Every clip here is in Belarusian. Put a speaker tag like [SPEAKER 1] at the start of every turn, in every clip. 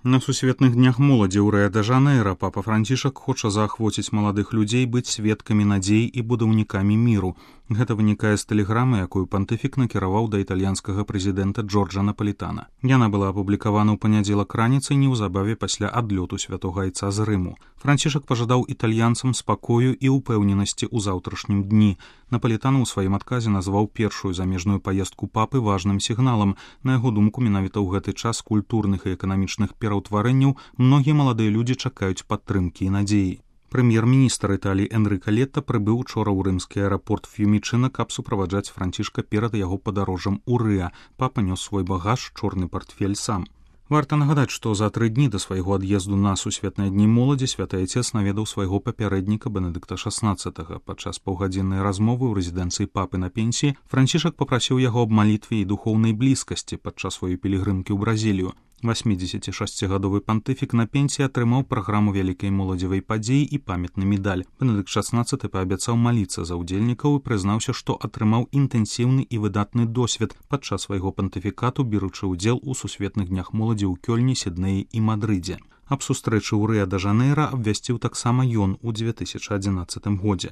[SPEAKER 1] На сусветных днях моладзі ў Рыа-дэ-Жанэйра папа Францішак хоча заахвоціць маладых людзей быць сведкамі надзей і будаўнікамі міру. Гэта вынікае з тэлеграмы, якую пантыфік накіраваў да італьянскага прэзідэнта Джорджа Напалітана. Яна была апублікавана ў панядзелак раніцай неўзабаве пасля адлёту святога айца з Рыму. Францішак пажадаў італьянцам спакою і ўпэўненасці ў заўтрашнім дні. Напалітан у сваім адказе назваў першую замежную паездку папы важным сігналам. На яго думку, менавіта ў гэты час культурных і эканамічных пераўтварэнняў многія маладыя людзі чакаюць падтрымкі і надзеі. Прэм'ер-міністр Італіі Энрыка Летта прыбыў учора ў рымскі аэрапорт Ф'юмічына, каб суправаджаць Францішка перад яго падарожжам у Рыа. Папа нёс свой багаж, чорны партфель сам. Варта нагадаць, што за 3 дні да свайго ад'езду на сусветныя дні моладзі святы айцец наведаў свайго папярэдніка Бенедыкта XVI. Падчас паўгадзіннай размовы ў рэзідэнцыі папы на пенсіі Францішак папрасіў яго аб малітве і духоўнай блізкасці падчас сваёй пілігрымкі ў Бразілію. 86-гадовы пантыфік на пенсіі атрымаў праграму вялікай моладзевай падзеі і памятны медаль. Бенедыкт XVI паабяцаў маліцца за ўдзельнікаў і прызнаўся, што атрымаў інтэнсіўны і выдатны досвед падчас свайго пантыфікату, беручы ўдзел у сусветных днях моладзі ў Кёльні, Сіднеі і Мадрыдзе. Аб сустрэчы ў Рыа-дэ-Жанэйра абвясціў таксама ён у 2011 годзе.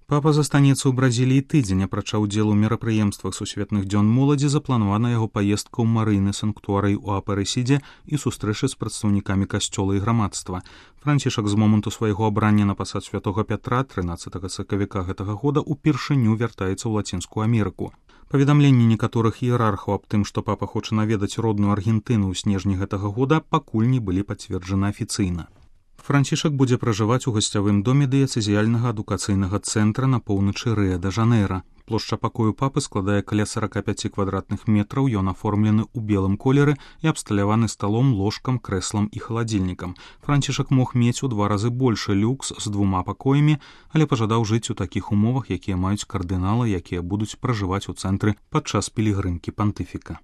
[SPEAKER 1] Папа застанецца ў Бразіліі тыдзень, апрача ўдзелу ў мерапрыемствах сусветных дзён моладзі запланавана яго паездка ў марыйны санктуарый у Апарэсідзе і сустрэчы з прадстаўнікамі касцёла і грамадства. Францішак з моманту свайго абрання на пасад святога Пятра 13 сакавіка гэтага года упершыню вяртаецца ў Лацінскую Амерыку. Паведамленні некаторых іерархаў аб тым, што папа хоча наведаць родную Аргентыну ў снежні гэтага года, пакуль не былі пацверджаны афіцыйна. Францішак будзе пражываць у гасцявым доме дыяцэзіяльнага адукацыйнага цэнтра на поўначы Рыа-дэ-Жанэйра. Плошча пакою папы складае каля 45 квадратных метраў, ён аформлены ў белым колеры і абсталяваны сталом, ложкам, крэслам і халадзільнікам. Францішак мог мець у 2 разы большы люкс з 2 пакоямі, але пажадаў жыць у такіх умовах, якія маюць кардыналы, якія будуць пражываць у цэнтры падчас пілігрымкі пантыфіка.